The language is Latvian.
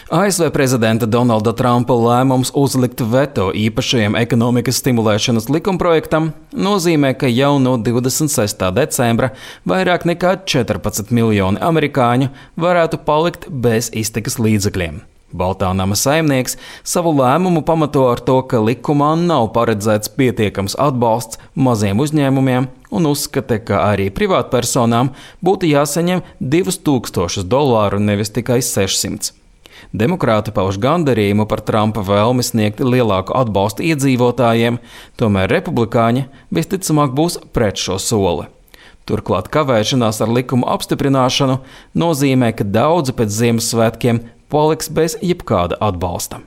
ASV prezidenta Donalda Trumpa lēmums uzlikt veto īpašajam ekonomikas stimulēšanas likumprojektam nozīmē, ka jau no 26. decembra vairāk nekā 14 miljoni amerikāņu varētu palikt bez iztikas līdzekļiem. Baltā nama saimnieks savu lēmumu pamato ar to, ka likumā nav paredzēts pietiekams atbalsts maziem uzņēmumiem un uzskata, ka arī privātpersonām būtu jāsaņem $2000, nevis tikai 600. Demokrāti pauž gandarījumu par Trumpa vēlmi sniegt lielāku atbalstu iedzīvotājiem, tomēr republikāņi visticamāk būs pret šo soli. Turklāt kavēšanās ar likumu apstiprināšanu nozīmē, ka daudzi pēc Ziemassvētkiem paliks bez jebkāda atbalsta.